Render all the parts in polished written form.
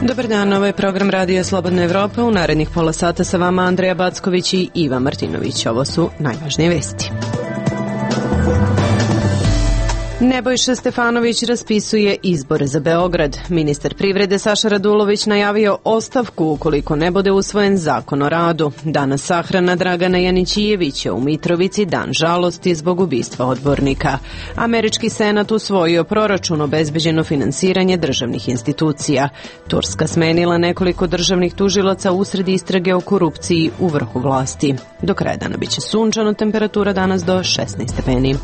Dobar dan, ovo je program Radio Slobodna Evropa. U narednih pola sata sa vama Andreja Backović i Iva Martinović. Ovo su najvažnije vesti. Nebojša Stefanović raspisuje izbore za Beograd. Ministar privrede Saša Radulović najavio ostavku ukoliko ne bude usvojen zakon o radu. Danas sahrana Dragana Janićijevića u Mitrovici, dan žalosti zbog ubistva odbornika. Američki senat usvojio proračun obezbeđeno finansiranje državnih institucija. Turska smenila nekoliko državnih tužilaca usred istrage o korupciji u vrhu vlasti. Do kraja dana biće sunčano, temperatura danas do 16 stepeni.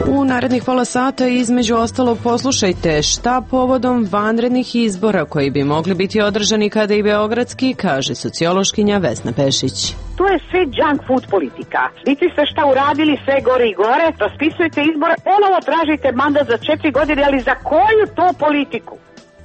U narednih pola sata između ostalog poslušajte šta povodom vanrednih izbora koji bi mogli biti održani kada i beogradski, kaže sociološkinja Vesna Pešić. To je sve junk food politika. Vidite ste šta uradili, sve gore i gore, raspisujete izbore, ponovo tražite mandat za 4 godine, ali za koju to politiku?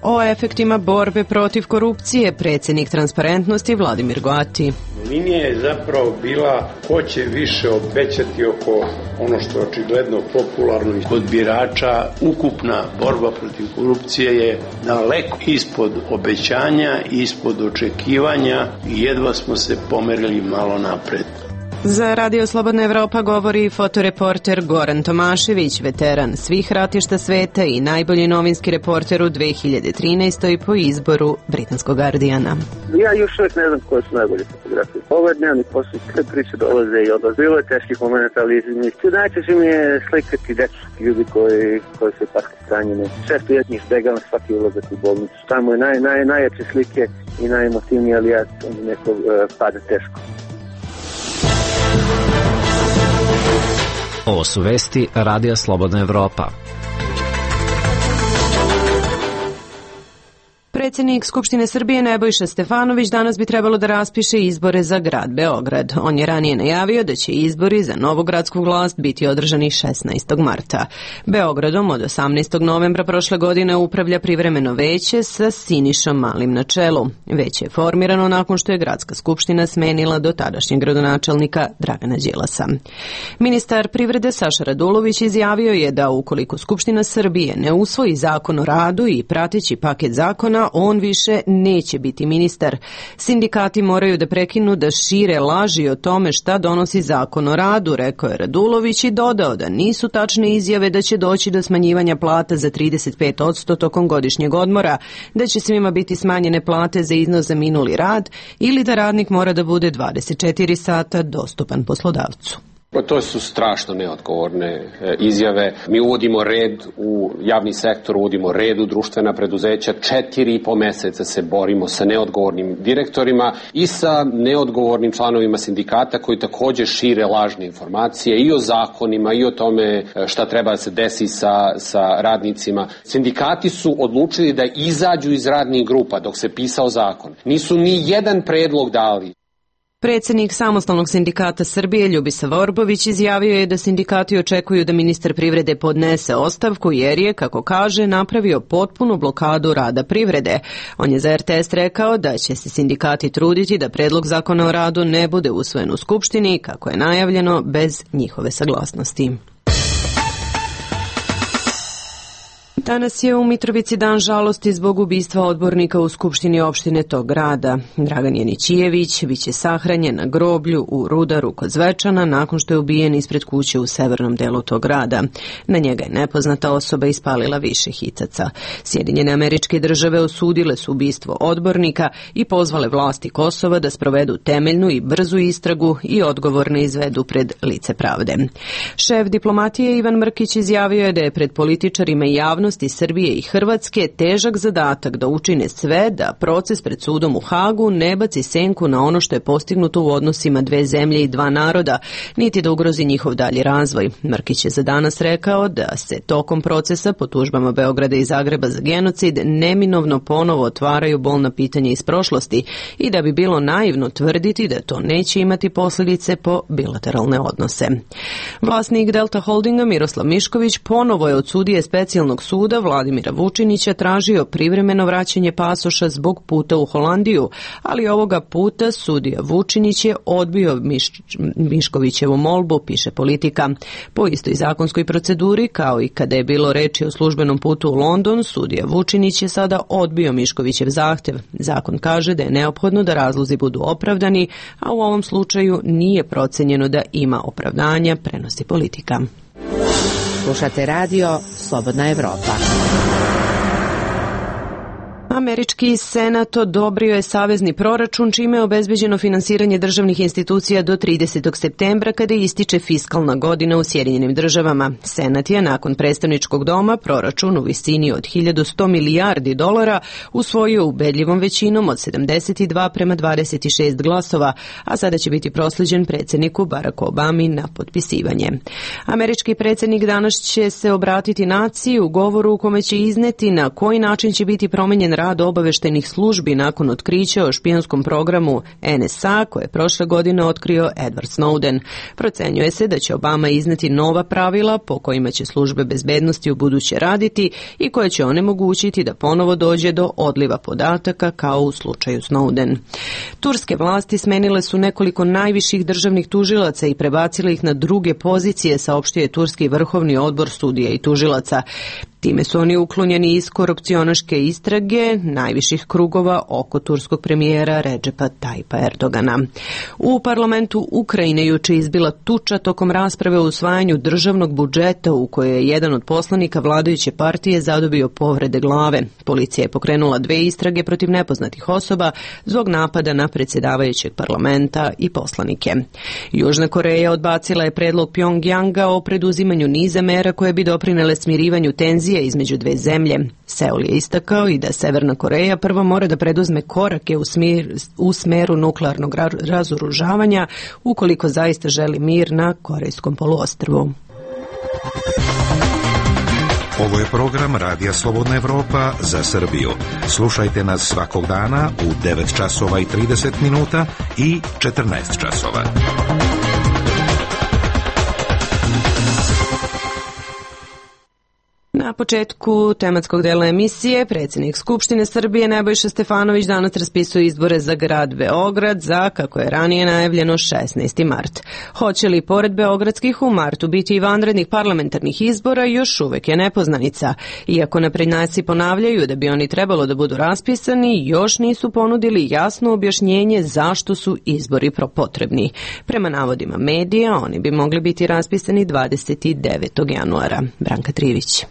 O efektima borbe protiv korupcije predsjednik Transparentnosti Vladimir Goati. Linija je zapravo bila ko će više obećati oko ono što je očigledno popularno kod birača. Ukupna borba protiv korupcije je daleko ispod obećanja, ispod očekivanja i jedva smo se pomerili malo napred. Za Radio Slobodna Evropa govori fotoreporter Goran Tomašević, veteran svih ratišta sveta i najbolji novinski reporter u 2013. po izboru britanskog Guardiana. Ja još uvijek ne znam koje su najbolje fotografije. Ovo je dnevni posao, sve priče dolaze i odlaze. Bilo je teških momenta, ali najčešće mi je slikati dečki ljudi koji su tako stranjeni. Često ja njih izbegavam svaki ulazak u bolnicu. Tamo je najjače slike i najemotivnije, ali ja neko pada teško. Ovo su vesti Radija Slobodna Evropa. Predsjednik Skupštine Srbije Nebojša Stefanović danas bi trebalo da raspiše izbore za grad Beograd. On je ranije najavio da će izbori za novu gradsku vlast biti održani 16. marta. Beogradom od 18. novembra prošle godine upravlja privremeno veće sa Sinišom Malim na čelu. Veće je formirano nakon što je gradska skupština smenila do tadašnjeg gradonačelnika Dragana Đilasa. Ministar privrede Saša Radulović izjavio je da ukoliko Skupština Srbije ne usvoji zakon o radu i prateći paket zakona, on više neće biti ministar. Sindikati moraju da prekinu da šire laži o tome šta donosi zakon o radu, rekao je Radulović i dodao da nisu tačne izjave da će doći do smanjivanja plata za 35% tokom godišnjeg odmora, da će svima biti smanjene plate za iznos za minuli rad ili da radnik mora da bude 24 sata dostupan poslodavcu. To su strašno neodgovorne izjave. Mi uvodimo red u javni sektor, uvodimo red u društvena preduzeća. 4,5 meseca se borimo sa neodgovornim direktorima i sa neodgovornim članovima sindikata koji također šire lažne informacije i o zakonima i o tome šta treba da se desi sa radnicima. Sindikati su odlučili da izađu iz radnih grupa dok se pisao zakon. Nisu ni jedan predlog dali. Predsjednik Samostalnog sindikata Srbije Ljubisa Vorbović izjavio je da sindikati očekuju da ministar privrede podnese ostavku jer je, kako kaže, napravio potpunu blokadu rada privrede. On je za RTS rekao da će se sindikati truditi da predlog zakona o radu ne bude usvojen u Skupštini, kako je najavljeno, bez njihove saglasnosti. Danas je u Mitrovici dan žalosti zbog ubistva odbornika u Skupštini opštine tog grada. Dragan Janićijević biće sahranjen na groblju u Rudaru kod Zvečana nakon što je ubijen ispred kuće u severnom delu tog grada. Na njega je nepoznata osoba ispalila više hitaca. Sjedinjene Američke Države osudile su ubistvo odbornika i pozvale vlasti Kosova da sprovedu temeljnu i brzu istragu i odgovorne izvedu pred lice pravde. Šef diplomatije Ivan Mrkić izjavio je da je pred političarima i javnosti Srbije i Hrvatske težak zadatak da učine sve da proces pred sudom u Hagu ne baci senku na ono što je postignuto u odnosima dve zemlje i dva naroda, niti da ugrozi njihov dalji razvoj. Mrkić je za danas rekao da se tokom procesa po tužbama Beograda i Zagreba za genocid neminovno ponovo otvaraju bolna pitanja iz prošlosti i da bi bilo naivno tvrditi da to neće imati posljedice po bilateralne odnose. Vlasnik Delta Holdinga Miroslav Mišković ponovo je od sudije specijalnog suda suda Vladimira Vučinića tražio privremeno vraćanje pasoša zbog puta u Holandiju, ali ovoga puta sudija Vučinić je odbio Miškovićevu molbu, piše Politika. Po istoj zakonskoj proceduri, kao i kada je bilo reči o službenom putu u London, sudija Vučinić je sada odbio Miškovićev zahtev. Zakon kaže da je neophodno da razlozi budu opravdani, a u ovom slučaju nije procenjeno da ima opravdanja, prenosi Politika. Slušate radio Slobodna Evropa. Američki senat odobrio je savezni proračun, čime je obezbeđeno finansiranje državnih institucija do 30. septembra, kada ističe fiskalna godina u Sjedinjenim državama. Senat je nakon predstavničkog doma proračun u visini od 1100 milijardi dolara usvojio ubedljivom većinom od 72 prema 26 glasova, a sada će biti proslijeđen predsjedniku Baracku Obami na potpisivanje. Američki predsjednik danas će se obratiti naciji u govoru u kome će izneti na koji način će biti promenjen rad obaveštajnih službi nakon otkrića o špijunskom programu NSA koje je prošle godine otkrio Edward Snowden. Procenjuje se da će Obama izneti nova pravila po kojima će službe bezbednosti u buduće raditi i koje će onemogućiti da ponovo dođe do odliva podataka kao u slučaju Snowden. Turske vlasti smenile su nekoliko najviših državnih tužilaca i prebacile ih na druge pozicije, saopštio je Turski vrhovni odbor sudija i tužilaca. Time su oni uklonjeni iz korupcionaške istrage najviših krugova oko turskog premijera Redžepa Tajpa Erdogana. U parlamentu Ukrajine juče izbila tuča tokom rasprave o usvajanju državnog budžeta u kojoj je jedan od poslanika vladajuće partije zadobio povrede glave. Policija je pokrenula 2 istrage protiv nepoznatih osoba zbog napada na predsjedavajućeg parlamenta i poslanike. Južna Koreja odbacila je predlog Pjongjanga o preduzimanju niza mera koje bi doprinele smirivanju tenzija između dve zemlje. Seul je istakao i da Severna Koreja prvo mora da preduzme korake u smeru nuklearnog razoružavanja ukoliko zaista želi mir na Korejskom poluostrvu. Ovo je program Radija Slobodna Evropa za Srbiju. Slušajte nas svakog dana u 9 časova i 30 minuta i 14 časova. Na početku tematskog dela emisije predsjednik Skupštine Srbije Nebojša Stefanović danas raspisuje izbore za grad Beograd za, kako je ranije najavljeno, 16. mart. Hoće li pored beogradskih u martu biti i vanrednih parlamentarnih izbora još uvek je nepoznanica. Iako naprednjaci ponavljaju da bi oni trebalo da budu raspisani, još nisu ponudili jasno objašnjenje zašto su izbori potrebni. Prema navodima medija, oni bi mogli biti raspisani 29. januara. Branka Trivić.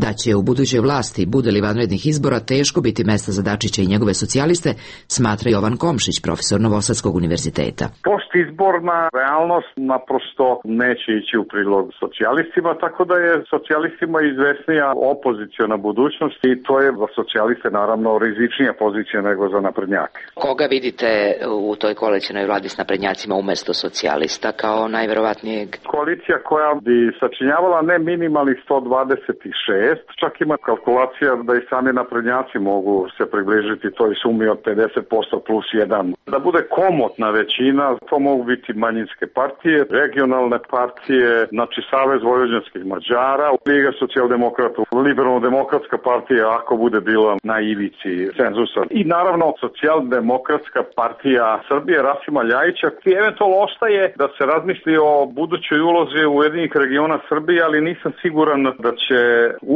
Da će u budućoj vlasti, bude li vanrednih izbora, teško biti mesta za Dačića i njegove socijaliste, smatra Jovan Komšić, profesor Novosadskog univerziteta. Postizborna realnost naprosto neće ići u prilog socijalistima, tako da je socijalistima izvesnija opoziciona budućnost i to je za socijaliste naravno rizičnija pozicija nego za naprednjake. Koga vidite u toj koalicionoj vladi s naprednjacima umesto socijalista kao najverovatnijeg? Koalicija koja bi sačinjavala ne minimalnih 126, čak ima kalkulacija da i sami naprednjaci mogu se približiti toj sumi od 50% plus 1. Da bude komotna većina, to mogu biti manjinske partije, regionalne partije, znači Savez vojvođanskih Mađara, Liga socijaldemokrata, Liberalno-demokratska partija ako bude bila na ivici cenzusa. I naravno Socijaldemokratska partija Srbije Rasima Ljajića, i eventualno ostaje da se razmisli o budućoj ulozi Ujedinjenih regiona Srbije, ali nisam siguran da će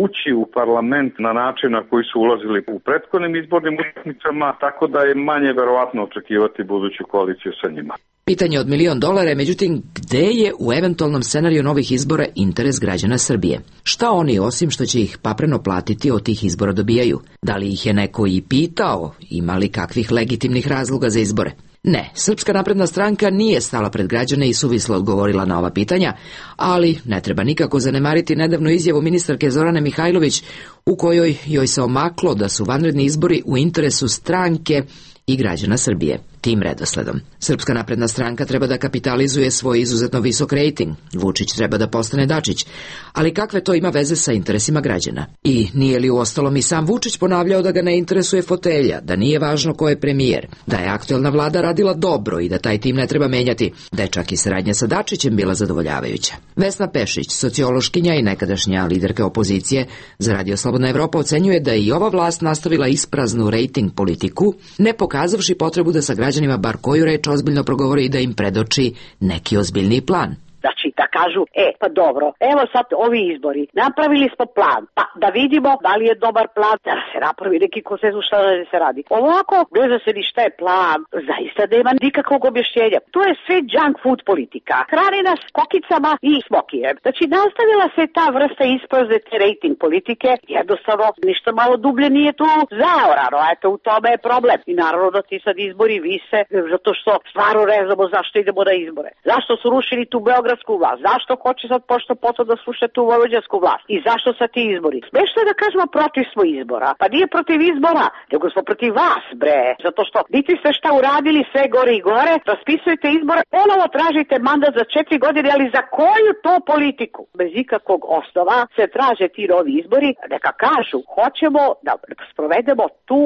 ući u parlament na način na koji su ulazili u prethodnim izbornim utakmicama, tako da je manje verovatno očekivati buduću koaliciju sa njima. Pitanje od $1.000.000, međutim, gde je u eventualnom scenariju novih izbora interes građana Srbije? Šta oni, osim što će ih papreno platiti, od tih izbora dobijaju? Da li ih je neko i pitao, ima li kakvih legitimnih razloga za izbore? Ne, Srpska napredna stranka nije stala pred građane i suvislo odgovorila na ova pitanja, ali ne treba nikako zanemariti nedavnu izjavu ministarke Zorane Mihajlović u kojoj joj se omaklo da su vanredni izbori u interesu stranke i građana Srbije. tim redosledom. Srpska napredna stranka treba da kapitalizuje svoj izuzetno visok rejting. Vučić treba da postane Dačić. Ali kakve to ima veze sa interesima građana? I nije li uostalom i sam Vučić ponavljao da ga ne interesuje fotelja, da nije važno ko je premijer, da je aktuelna vlada radila dobro i da taj tim ne treba menjati, da je čak i saradnja sa Dačićem bila zadovoljavajuća. Vesna Pešić, sociološkinja i nekadašnja liderka opozicije za Radio Slobodna Evropa, ocenjuje da je i ova vlast nastavila ispraznu rejting politiku, ne pokazavši potrebu da sa građanima bar koju reč ozbiljno progovori i da im predoči neki ozbiljniji plan. Znači, da kažu, pa dobro, evo sad ovi izbori, napravili smo plan, pa da vidimo da li je dobar plan, da se napravi neki konsenzus šta da se radi. Ovako, ne zna se ni šta je plan, zaista nema nikakvog objašnjenja. To je sve junk food politika. Hrani nas kokicama i smokijem. Znači, nastavila se ta vrsta isprazne te rating politike, jednostavno ništa malo dublje nije tu zaorano, eto u tome je problem. I naravno da ti sad izbori vise, zato što stvarno ne znamo zašto idemo na izbore. Zašto su rušili tu beogradsku vlast? Zašto hoće sad pošto potom da sluša tu vojvođansku vlast? I zašto sad ti izbori? Smešno je da kažemo protiv smo izbora. Pa nije protiv izbora, nego smo protiv vas, bre. Zato što niti ste šta uradili sve gore i gore, raspisujete izbore, ponovo tražite mandat za 4 godine, ali za koju to politiku? Bez ikakvog osnova se traže ti novi izbori, neka kažu, hoćemo da sprovedemo tu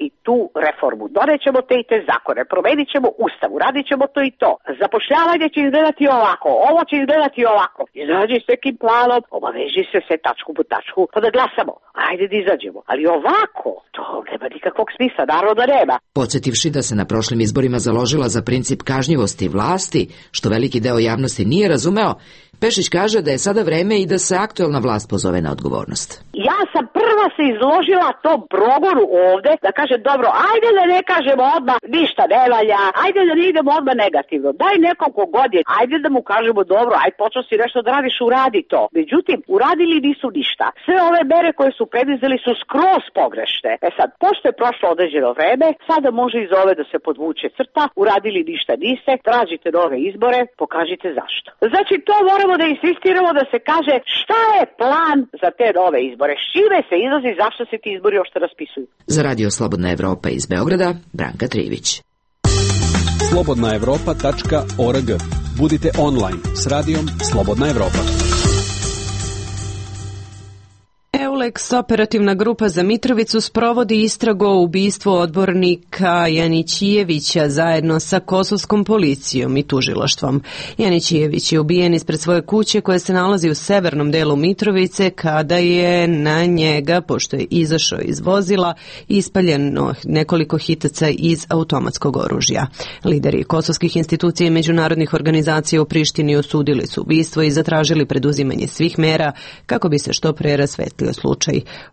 i tu reformu. Donećemo te i te zakone, promenit ćemo ustav, uradit ćemo to i to. Zapošljavanje će izgledati ovako, ovo će izgledati ovako. Izađi s nekim planom, obaveži se sve tačku po tačku, pa da glasamo. Ajde da izađemo. Ali ovako, to nema nikakvog smisla, naravno da nema. Podsjetivši da se na prošlim izborima založila za princip kažnjivosti vlasti, što veliki deo javnosti nije razumeo, Pešić kaže da je sada vreme i da se aktuelna vlast pozove na odgovornost. Ja sam prva se izložila tom progonu ovde, da kaže dobro, ajde da ne kažemo odmah ništa ne valja, ajde da ne idemo odmah negativno, daj nekom kogod je, ajde da mu kažemo dobro, ajde počeo si nešto da radiš, uradi to. Međutim, uradili nisu ništa. Sve ove mere koje su predizeli su skroz pogrešne. Sad, pošto je prošlo određeno vreme, sada može iz ove da se podvuče crta, uradili ništa niste, tražite nove izbore, pokažite zašto. Znači, to moramo da insistiramo da se kaže šta je plan za te nove izbore, s čime se izlazi, zašto se ti izbori uopšte raspisuju. Za Radio Slobodna Evropa iz Beograda, Branka Trivić. slobodnaevropa.org. Budite online s radijom Slobodna Evropa. EULEX, operativna grupa za Mitrovicu, sprovodi istragu o ubistvu odbornika Janićijevića zajedno sa kosovskom policijom i tužilaštvom. Janićijević je ubijen ispred svoje kuće koja se nalazi u severnom delu Mitrovice kada je na njega, pošto je izašao iz vozila, ispaljeno nekoliko hitaca iz automatskog oružja. Lideri kosovskih institucija i međunarodnih organizacija u Prištini osudili su ubistvo i zatražili preduzimanje svih mera kako bi se što pre rasvetlio slučaj.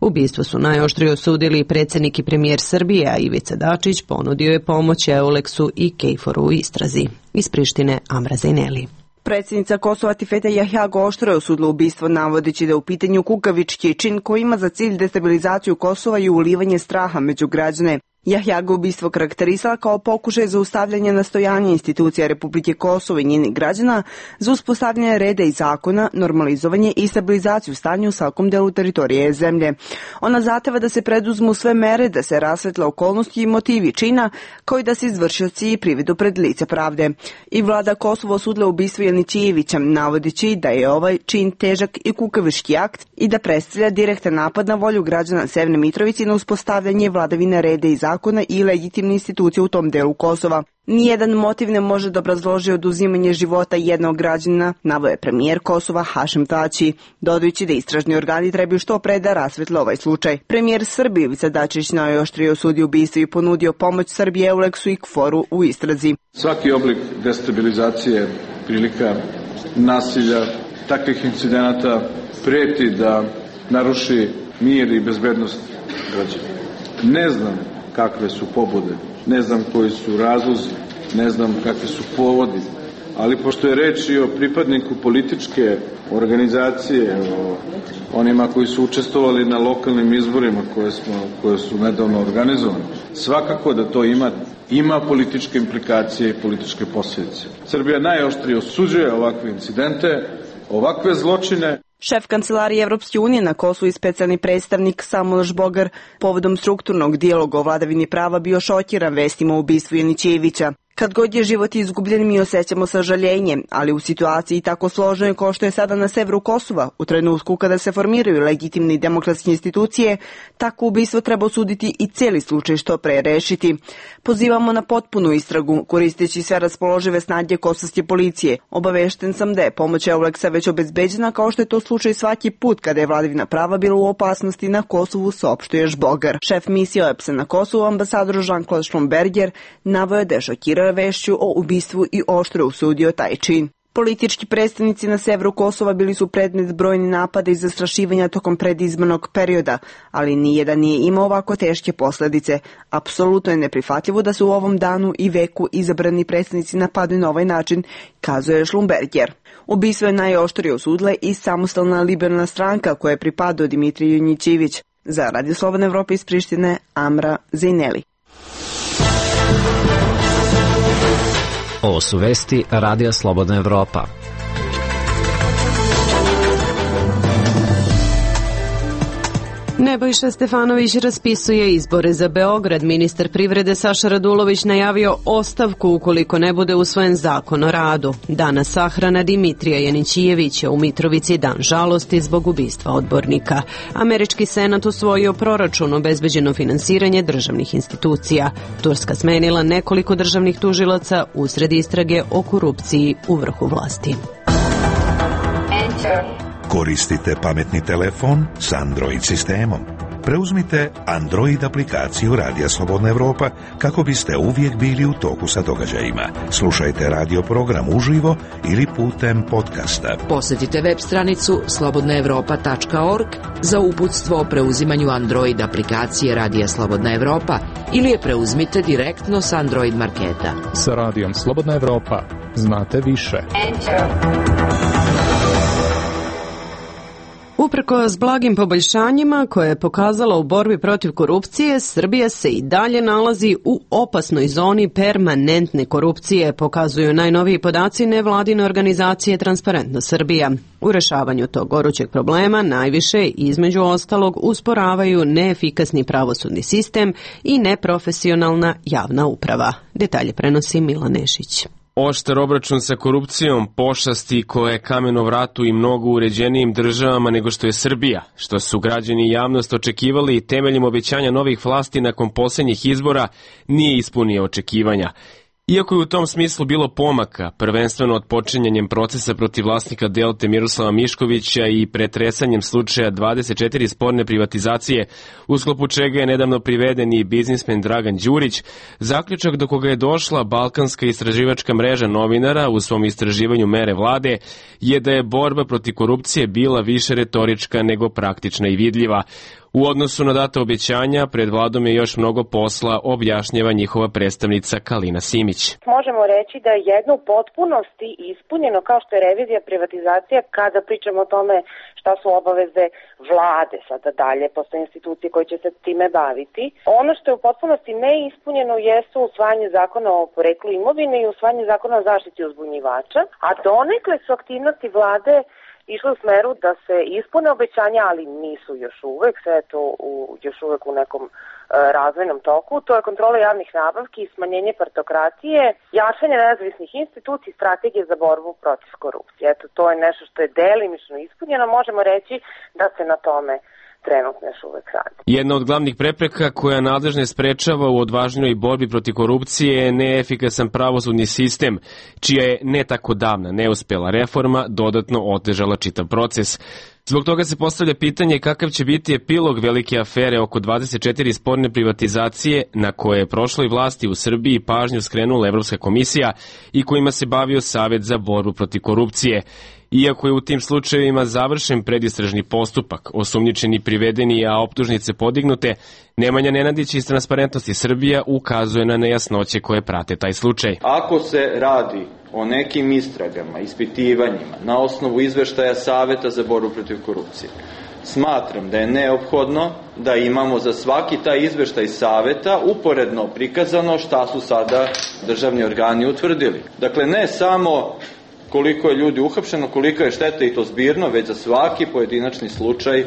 Ubistvo su najoštrije osudili predsjednik i premijer Srbije, a Ivica Dačić ponudio je pomoć EULEX-u i KFOR-u u istrazi. Iz Prištine, Amra Zajneli. Predsjednica Kosova Tifeta Jahjago oštro je osudila ubistvo, navodeći da je u pitanju kukavički čin koji ima za cilj destabilizaciju Kosova i ulivanje straha među građane. Jahjago ubistvo karakterisala kao pokušaj zaustavljanja nastojanja institucija Republike Kosovo i njenih građana za uspostavljanje reda i zakona, normalizovanje i stabilizaciju stanja u svakom delu teritorije zemlje. Ona zahteva da se preduzmu sve mere, da se rasvetle okolnosti i motivi čina, kao i da se izvršioci privedu pred lice pravde. I vlada Kosova osudila ubistvo Janićijevića, navodeći da je ovaj čin težak i kukavički akt i da predstavlja direktan napad na volju građana Severne Mitrovice na uspostavljanje vladavine reda i zakona i legitimne institucije u tom delu Kosova. Nijedan motiv ne može da obrazloži oduzimanje života jednog građanina, naveo je premijer Kosova Hašim Tači, dodajući da istražni organi trebaju što pre da rasvetle ovaj slučaj. Premijer Srbije Ivica Dačić najoštrije osudio ubistvo i ponudio pomoć Srbije EULEX-u i KFOR-u u istrazi. Svaki oblik destabilizacije, prilika nasilja, takvih incidenata preti da naruši mir i bezbednost građana. Ne znam kakve su pobude, ne znam koji su razlozi, ne znam kakvi su povodi, ali pošto je reč i o pripadniku političke organizacije, o onima koji su učestvovali na lokalnim izborima koje su nedavno organizovane, svakako da to ima političke implikacije i političke posljedice. Srbija najoštrije osuđuje ovakve incidente, ovakve zločine. Šef kancelarije Evropske unije na Kosovu i specijalni predstavnik Samuel Žbogar povodom strukturnog dijaloga o vladavini prava bio šokiran vestima o ubistvu Janićevića. Kad god je život izgubljen, mi osjećamo sažaljenje, ali u situaciji tako složenoj kao što je sada na severu Kosova, u trenutku kada se formiraju legitimne i demokratske institucije, tako ubistvo treba osuditi i cijeli slučaj što pre rešiti. Pozivamo na potpunu istragu, koristeći sve raspoložive snage kosovske policije. Obavešten sam da je pomoć Euleksa već obezbeđena, kao što je to slučaj svaki put kada je vladavina prava bila u opasnosti na Kosovu, saopštuje Žbogar. Šef misije OEBS-a na Kosovu, ambasador Jean-Claude Schlumberger, naveo da je šokirao vešću o ubistvu i oštro osudio taj čin. Politički predstavnici na severu Kosova bili su predmet brojnih napada i zastrašivanja tokom predizbornog perioda, ali nijedan nije imao ovako teške posledice. Apsolutno je neprihvatljivo da se u ovom danu i veku izabrani predstavnici napadaju na ovaj način, kazuje Schlumberger. Ubistvo je najoštrije osudila i samostalna liberalna stranka koja je pripadao Dimitriju Janićević. Za Radio Slobodne Evrope iz Prištine, Amra Zejneli. Ovo su vesti Radija Slobodna Evropa. Nebojša Stefanović raspisuje izbore za Beograd. Ministar privrede Saša Radulović najavio ostavku ukoliko ne bude usvojen zakon o radu. Danas sahrana Dimitrija Janićevića u Mitrovici, dan žalosti zbog ubistva odbornika. Američki senat usvojio proračun, obezbeđeno finansiranje državnih institucija. Turska smenila nekoliko državnih tužilaca usred istrage o korupciji u vrhu vlasti. Koristite pametni telefon s Android sistemom. Preuzmite Android aplikaciju Radija Slobodna Evropa kako biste uvijek bili u toku sa događajima. Slušajte radio program uživo ili putem podcasta. Posjetite web stranicu slobodnaevropa.org za uputstvo o preuzimanju Android aplikacije Radija Slobodna Evropa ili je preuzmite direktno s Android marketa. Sa Radijom Slobodna Evropa znate više. Uprkos blagim poboljšanjima koje je pokazala u borbi protiv korupcije, Srbija se i dalje nalazi u opasnoj zoni permanentne korupcije, pokazuju najnoviji podaci nevladine organizacije Transparentna Srbija. U rešavanju tog gorućeg problema najviše, između ostalog, usporavaju neefikasni pravosudni sistem i neprofesionalna javna uprava. Detalje prenosi Milan Nešić. Oštar obračun sa korupcijom, pošasti koja je kamen o vratu i mnogo uređenijim državama nego što je Srbija, što su građani i javnost očekivali i temeljem obećanja novih vlasti nakon posljednjih izbora, nije ispunio očekivanja. Iako je u tom smislu bilo pomaka, prvenstveno od počinjanjem procesa protiv vlasnika Delte Miroslava Miškovića i pretresanjem slučaja 24 sporne privatizacije, u sklopu čega je nedavno priveden i biznismen Dragan Đurić, zaključak do koga je došla Balkanska istraživačka mreža novinara u svom istraživanju mere vlade je da je borba protiv korupcije bila više retorička nego praktična i vidljiva. U odnosu na data obećanja, pred vladom je još mnogo posla, objašnjava njihova predstavnica Kalina Simić. Možemo reći da je jedno u potpunosti ispunjeno kao što je revizija privatizacija kada pričamo o tome šta su obaveze vlade, sada dalje postoje institucije koje će se time baviti. Ono što je u potpunosti neispunjeno jesu usvajanje zakona o poreklu imovine i usvajanje zakona o zaštiti uzbunjivača, a donekle su aktivnosti vlade išlo u smeru da se ispune obećanja, ali nisu još uvek, sve je to još uvek u nekom razvojnom toku. To je kontrola javnih nabavki, smanjenje partokracije, jačanje nezavisnih institucija i strategije za borbu protiv korupcije. Eto, to je nešto što je delimično ispunjeno, možemo reći da se na tome trenutno još uvek radi. Jedna od glavnih prepreka koja nadležne sprečava u odvažnjoj borbi protiv korupcije je neefikasan pravosudni sistem, čija je ne tako davna neuspela reforma dodatno otežala čitav proces. Zbog toga se postavlja pitanje kakav će biti epilog velike afere oko 24 sporne privatizacije na koje je prošloj vlasti u Srbiji pažnju skrenula Evropska komisija i kojima se bavio Savet za borbu protiv korupcije. Iako je u tim slučajevima završen predistražni postupak, osumnjičeni privedeni, a optužnice podignute, Nemanja Nenadić iz Transparentnosti Srbija ukazuje na nejasnoće koje prate taj slučaj. Ako se radi o nekim istragama, ispitivanjima na osnovu izveštaja Saveta za borbu protiv korupcije, smatram da je neophodno da imamo za svaki taj izveštaj Saveta uporedno prikazano šta su sada državni organi utvrdili. Dakle, ne samo koliko je ljudi uhapšeno, kolika je šteta i to zbirno, već za svaki pojedinačni slučaj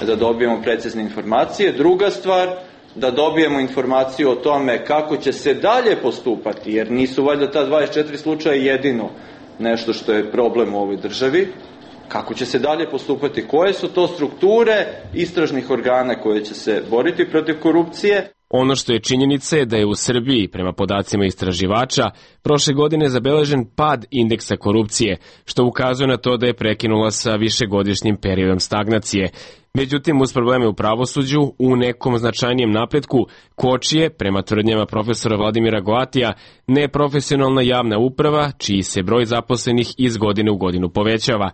da dobijemo precizne informacije. Druga stvar, da dobijemo informaciju o tome kako će se dalje postupati, jer nisu valjda ta 24 slučaja jedino nešto što je problem u ovoj državi. Kako će se dalje postupati, koje su to strukture istražnih organa koje će se boriti protiv korupcije. Ono što je činjenica je da je u Srbiji, prema podacima istraživača, prošle godine zabeležen pad indeksa korupcije, što ukazuje na to da je prekinula sa višegodišnjim periodom stagnacije. Međutim, uz probleme u pravosuđu, u nekom značajnijem napretku kočije, prema tvrdnjama profesora Vladimira Goatija, neprofesionalna javna uprava, čiji se broj zaposlenih iz godine u godinu povećava.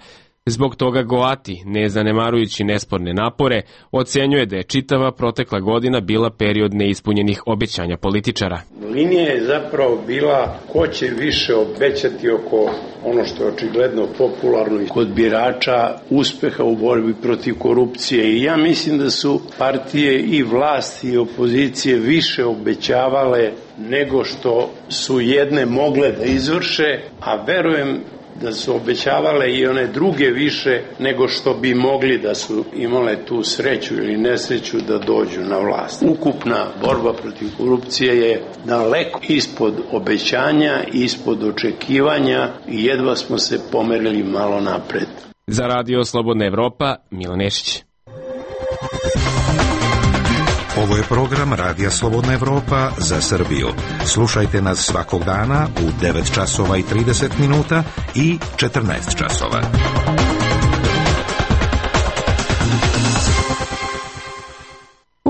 Zbog toga Goati, ne zanemarujući nesporne napore, ocenjuje da je čitava protekla godina bila period neispunjenih obećanja političara. Linija je zapravo bila ko će više obećati oko ono što je očigledno popularno kod birača uspeha u borbi protiv korupcije. I ja mislim da su partije i vlasti i opozicije više obećavale nego što su jedne mogle da izvrše, a verujem da su obećavale i one druge više nego što bi mogli da su imale tu sreću ili nesreću da dođu na vlast. Ukupna borba protiv korupcije je daleko ispod obećanja, ispod očekivanja i jedva smo se pomerili malo napred. Za Radio Slobodna Evropa, Milan Nešić. Ovo je program Radija Slobodna Evropa za Srbiju. Slušajte nas svakog dana u 9 časova i 30 minuta i 14 časova.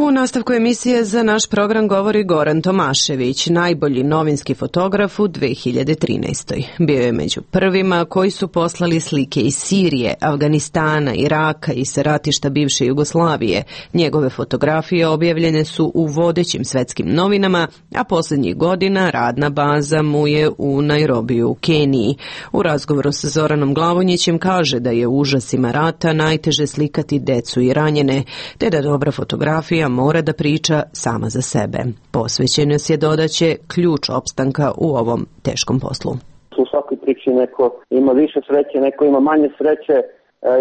U nastavku emisije za naš program govori Goran Tomašević, najbolji novinski fotograf u 2013. Bio je među prvima koji su poslali slike iz Sirije, Afganistana, Iraka i sa ratišta bivše Jugoslavije. Njegove fotografije objavljene su u vodećim svetskim novinama, a posljednjih godina radna baza mu je u Nairobiju u Keniji. U razgovoru sa Zoranom Glavonjićem kaže da je u užasima rata najteže slikati decu i ranjene, te da dobra fotografija mora da priča sama za sebe. Posvećenost je, dodaće, ključ opstanka u ovom teškom poslu. U svakoj priči neko ima više sreće, neko ima manje sreće.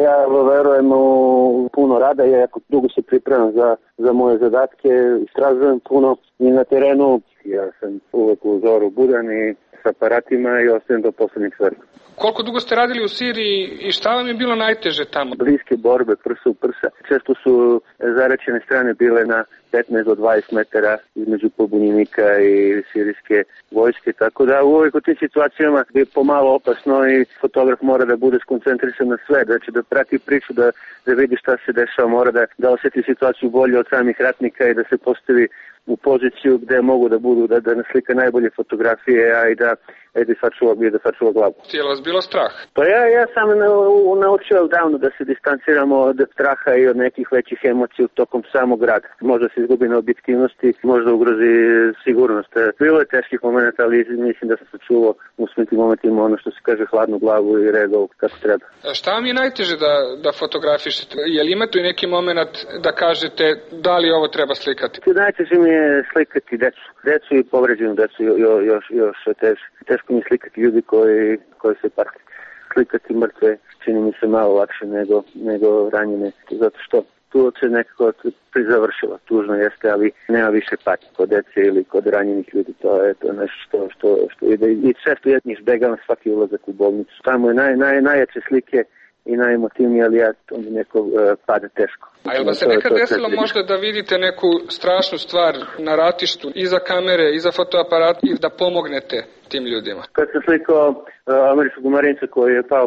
Ja verujem u puno rada, ja jako dugo se pripremam za moje zadatke, istražujem puno i na terenu. Ja sam uvek u zoru budan i s aparatima i ostajem do poslednjeg svrha. Koliko dugo ste radili u Siriji i šta vam je bilo najteže tamo? Bliske borbe, prsa u prsa. Često su zaraćene strane bile na 15 do 20 metara između pobunjenika i sirijske vojske, tako da u ovih tim situacijama je pomalo opasno i fotograf mora da bude skoncentrisan na sve, znači da prati priču, da vidi šta se dešava, mora da osjeti situaciju bolje od samih ratnika i da se postavi u poziciju gde mogu da budu, da naslika najbolje fotografije, a i da sačuva glavu. Je li vas bilo strah? Pa ja sam naučio davno da se distanciramo od straha i od nekih većih emocija tokom samog rada. Možda se izgubi na objektivnosti, možda ugrozi sigurnost. Bilo je teških momenta, ali mislim da sam sačuvao u svim tim momentima ono što se kaže hladnu glavu i reagao kako treba. Šta vam je najteže da fotografišete? Je li imate neki moment da kažete da li ovo treba slikati? Najteže mi je slikati decu i povređenu decu još teže. Teško mi slikati ljudi koji se pati. Slikati mrtve čini mi se malo lakše nego ranjene, zato što tu se nekako prizavršila. Tužno jeste, ali nema više patnje kod dece ili kod ranjenih ljudi. To je nešto što ide. I često jedni izbegavam svaki ulazak u bolnicu. Tamo je najjače slike i najemotivnije, ali onda neko pada teško. A je li se nekad desilo možda da vidite neku strašnu stvar na ratištu, iza kamere, iza fotoaparata i da pomognete tim ljudima? Kad sam slikao američkog marinca koji je pao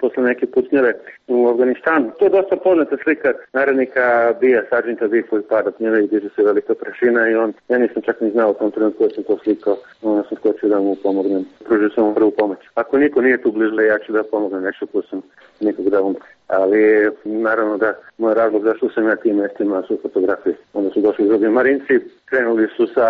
posle neke pucnjave u Afganistanu, to je dosta poznata slika narodnika Bija, Sargenta Bija koji pada pnjave i diže se velika prašina i ja nisam čak ni znao u tom trenutku da sam to slikao, onda sam skočio da mu pomognem, pružio sam mu prvu pomoć. Ako niko nije tu bliže, ja ću da pomognem nešto ko sam nikog da umre. ali naravno da moj razlog zašto sam ja tim mestima su fotografije. Onda su došli drugi Marinci, krenuli su sa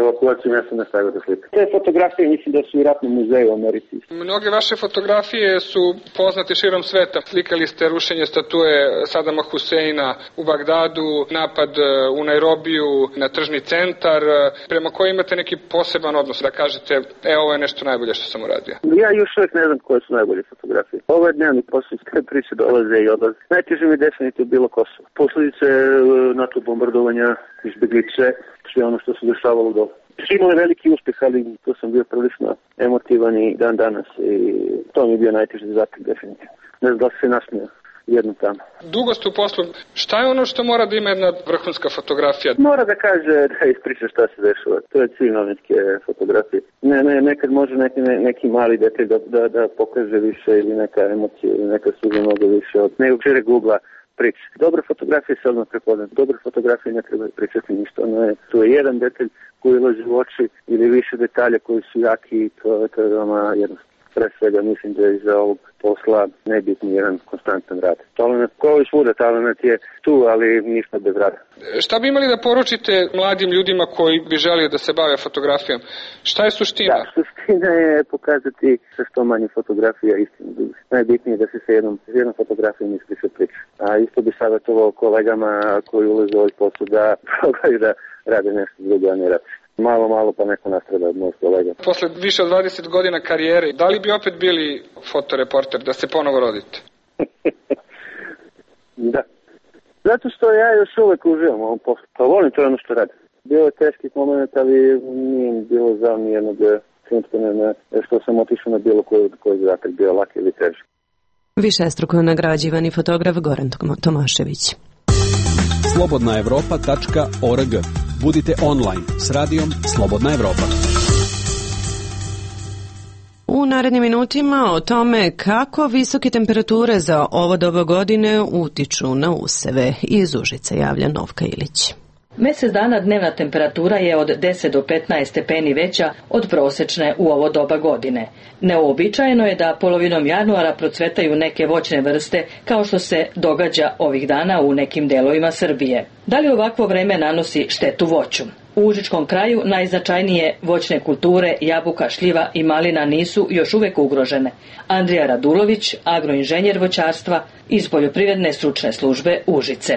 evakuacijom, ja sam nastavio da slikam. Te fotografije mislim da su i ratnom muzeju u Americi. Mnoge vaše fotografije su poznate širom sveta. Slikali ste rušenje statue Sadama Huseina u Bagdadu, napad u Nairobiju na tržni centar, prema koji imate neki poseban odnos da kažete, ovo je nešto najbolje što sam uradio. Ja još uvijek ne znam koje su najbolje fotografije. Ovo je dnevni posao, sve priče dolaze i odlaze. Najteže mi definitivno bilo Kosovo. Posljedice NATO bombardovanja, izbjeglice, sve ono što se dešavalo dole. Imali veliki uspjeh, ali to sam bio prilično emotivan i dan danas i to mi je bio najteži zadatak definitivno. Ne znam da se nasmija jednom tamo. Dugo ste u poslu. Šta je ono što mora da ima jedna vrhunska fotografija? Mora da kaže, da ispriča šta se dešava. To je cilj novinske fotografije. Nekad može neki mali detalj da pokaže više ili neka emocija ili neka suza mnogo više od nekog šireg ugla priče. Dobre fotografije se odmah prepoznat. Dobre fotografije ne treba pričati ništa. Tu je jedan detalj koji ulazi u oči ili više detalja koji su jaki i to je veoma jednostavno. Pre svega mislim da je iza ovog posla nebitni jedan konstantan rad. Talent, kao i svuda, talent je tu, ali ništa bez rada. Šta bi imali da poručite mladim ljudima koji bi želeli da se bave fotografijom? Šta je suština? Da, suština je pokazati sa što manje fotografija istinu. Najbitnije je da se sa jednom fotografijom ispriča priča. A isto bi savjetovao kolegama koji ulaze u ovaj posao da probaju da rade nešto drugo, a ne radi. Malo pa neko nastrada od mojih kolega. Posle više od 20 godina karijere, da li bi opet bili fotoreporter, da se ponovo rodite? Da. Zato što ja još uvek uživam u ovom poslu. Pa volim to ono što radim. Bilo je teških momenta, ali nije bilo žao nijednog trenutka što sam otišao na bilo koji zadatak, bio lak ili teži. Višestruko nagrađivani fotograf Goran Tomašević. Slobodnaevropa.org. Budite online s radijom Slobodna Evropa. U narednim minutima o tome kako visoke temperature za ovo doba godine utiču na useve. Iz Užica javlja Novka Ilić. Mesec dana dnevna temperatura je od 10 do 15 stepeni veća od prosečne u ovo doba godine. Neuobičajeno je da polovinom januara procvetaju neke voćne vrste kao što se događa ovih dana u nekim delovima Srbije. Da li ovakvo vreme nanosi štetu voću? U Užičkom kraju najznačajnije voćne kulture, jabuka, šljiva i malina nisu još uvek ugrožene. Andrija Radulović, agroinženjer voćarstva iz Poljoprivredne stručne službe Užice.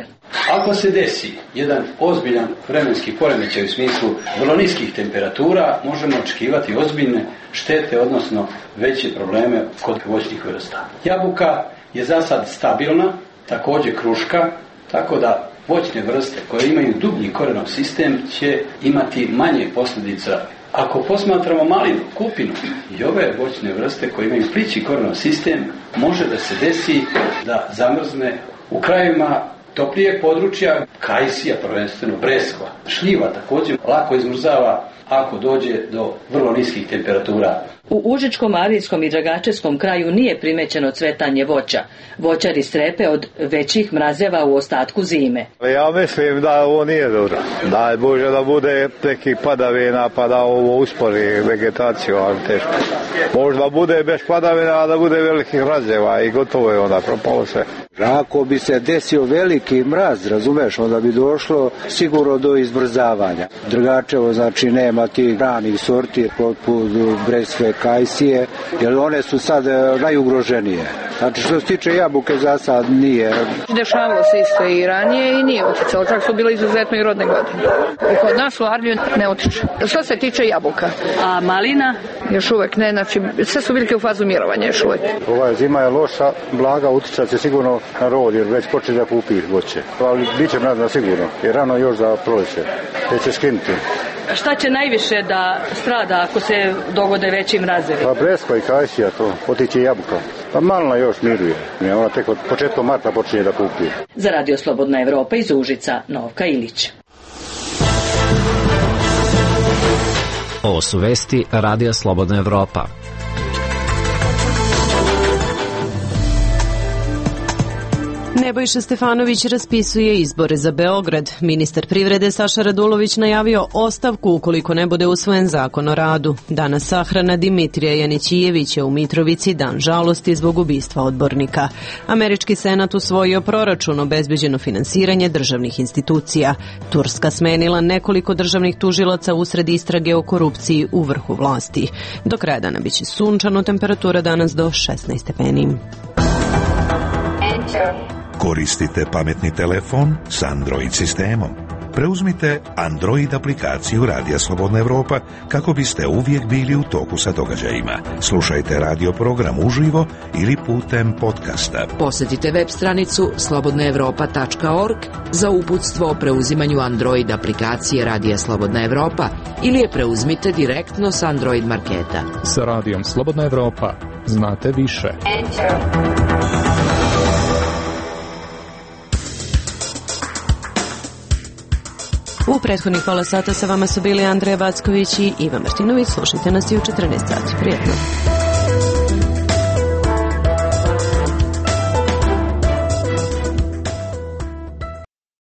Ako se desi jedan ozbiljan vremenski poremećaj u smislu vrlo niskih temperatura, možemo očekivati ozbiljne štete, odnosno veće probleme kod voćnih vrsta. Jabuka je za sad stabilna, također kruška, tako da voćne vrste koje imaju dublji korenov sistem će imati manje posljedica. Ako posmatramo malinu, kupinu i ove voćne vrste koje imaju plići korenov sistem, može da se desi da zamrzne u krajevima toplijeg područja, kajsija, prvenstveno breskva. Šljiva također lako izmrzava ako dođe do vrlo niskih temperatura. U Užičkom, Arijskom i Dragačevskom kraju nije primećeno cvetanje voća. Voćari strepe od većih mrazeva u ostatku zime. Ja mislim da ovo nije dobro. Daj Bože da bude nekih padavina pa da ovo uspori vegetaciju, ali teško. Možda bude bez padavina, a da bude velikih mrazeva i gotovo je onda propalo sve. Ako bi se desio veliki mraz, razumeš, onda bi došlo sigurno do izbrzavanja. Dragačevo znači nema tih ranih sorti poput breskve, kajsije, jer one su sad najugroženije. Znači što se tiče jabuke za sad nije. Dešavalo se isto i ranije i nije uticalo, čak su bile izuzetno i rodne godine. I kod nas u Arliju ne utiče. Što se tiče jabuka. A malina? Još uvek ne, znači sve su biljke u fazu mirovanja još uvek. Ova zima je loša, blaga, uticat će sigurno na rod jer već počne da kupi voće. Ali bit će mrazna sigurno, jer rano još za proljeće. Te će skinuti. Šta će najviše da strada ako se dogode veći mrazevi? Pa breskva i kajsija to, otiće jabuka. Pa malina još miruje, ona tek od početka marta počinje da kupi. Za Radio Slobodna Evropa iz Užica, Novka Ilić. Ovo su vesti Radija Slobodna Evropa. Nebojša Stefanović raspisuje izbore za Beograd. Ministar privrede Saša Radulović najavio ostavku ukoliko ne bude usvojen zakon o radu. Danas sahrana Dimitrija Janićijevića u Mitrovici, dan žalosti zbog ubistva odbornika. Američki senat usvojio proračun, obezbeđeno finansiranje državnih institucija. Turska smenila nekoliko državnih tužilaca usred istrage o korupciji u vrhu vlasti. Do kraja dana biće sunčano, temperatura danas do 16 stepeni. Koristite pametni telefon s Android sistemom. Preuzmite Android aplikaciju Radija Slobodna Evropa kako biste uvijek bili u toku sa događajima. Slušajte radio program uživo ili putem podcasta. Posjetite web stranicu slobodnaevropa.org za uputstvo o preuzimanju Android aplikacije Radija Slobodna Evropa ili je preuzmite direktno s Android marketa. Sa Radijom Slobodna Evropa znate više. U prethodnih pola sata sa vama su bili Andreja Backović i Ivan Martinović. Slušajte nas i u 14 sati. Prijetno.